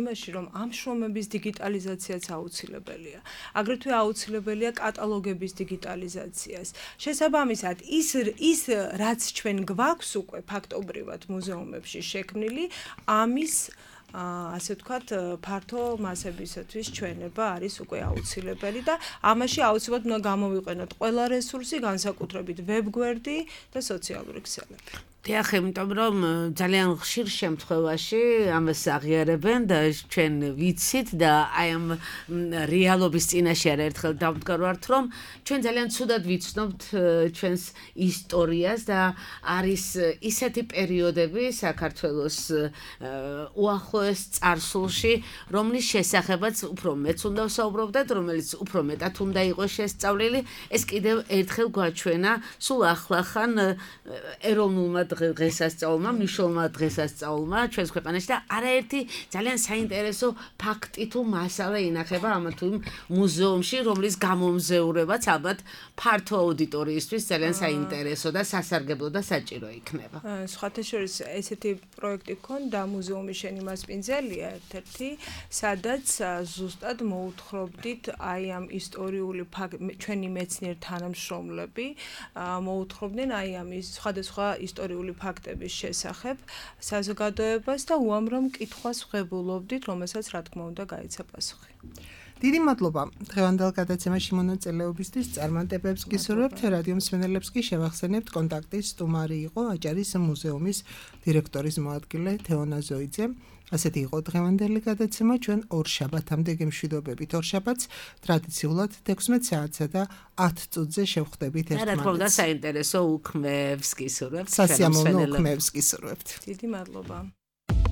იმაში, რომ ამ შრომების დიგიტალიზაციაც აუცილებელია. აგრეთვე აუცილებელია კატალოგების დიგიტალიზაციას. შესაბამისად, ის რაც ჩვენ გვაქვს უკვე ფაქტობრივად მუზეუმებში შექმნილი, ამის ასე ვთქვათ, ფართო მასებისათვის ჩვენება არის უკვე აუცილებელი და ამაში აუცილებლად უნდა გამოვიყენოთ ყველა რესურსი, განსაკუთრებით ვებგვერდი და სოციალური ქსელები. დიახ, იმიტომ რომ ძალიან ხშირ შემთხვევაში ამას აღიარებენ და ჩვენ ვიცით და აი ამ რეალობის წინაშე ერთხელ დავდგარვართ, რომ ჩვენ ძალიან ცუდად ვიცნობთ ჩვენს ისტორიას და არის ისეთი პერიოდები საქართველოს უახლოეს წარსულში, რომლის შესახებაც უფრო მეც უნდა ვსაუბრობდეთ, რომელიც უფრო მეტად უნდა იყოს შესწავლილი, ეს კიდევ ერთხელ გვაჩვენა სულ ახლახან ეროვნულმა დღესასწაულმა, მნიშვნელოვანმა დღესასწაულმა ჩვენს ქვეყანაში და არაერთი ძალიან საინტერესო ფაქტი თუ მასალა ინახება ამა თუ იმ მუზეუმში, რომლის გამომზეურებაც ალბათ ფართო აუდიტორიისთვის ძალიან საინტერესო და სასარგებლო და საჭირო იქნება. სხვათა შორის ესეთი პროექტი გქონდა მუზეუმის შენი მასპინძელია ერთ-ერთი, სადაც ზუსტად მოუთხრობდით აი ამ ისტორიული ჩვენი მეცნიერ თანამშრომლები მოუთხრობდნენ აი ამ სხვადასხვა ისტორიული ფაქტების შესახებ საზოგადოებას და უამრავ კითხვას ვღებულობდით, რომელსაც რა თქმა უნდა გაიცა პასუხი. დიდი მადლობა დღევანდელ გადაცემაში მონაწილეობისთვის. წარმატებებს გისურვებთ. რადიო მსმენელებს კი შევახსენებთ, კონტაქტის სტუმარი იყო აჭარის მუზეუმის დირექტორის მოადგილე თეონა ზოიძე. ასეთი იყო დღევანდელი გადაცემა. ჩვენ ორშაბათამდე გემშვიდობებით. ორშაბათს ტრადიციულად 16 საათსა და 10 წუთზე შევხვდებით ერთმანეთს. რა თქმა უნდა, საინტერესო უქმეებს გისურვებთ. სასიამოვნო უქმეებს გისურვებთ. დიდი მადლობა.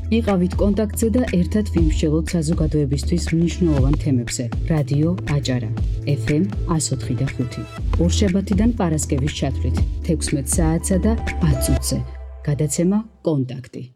იყავით კონტაქტზე და ერთად ვიმსჯელოთ საზოგადოებისთვის მნიშვნელოვან თემებზე. რადიო აჭარა FM 104.5. ორშაბათიდან პარასკევის ჩათვლით 16 საათსა და 10 წუთზე. გადაცემა კონტაქტი.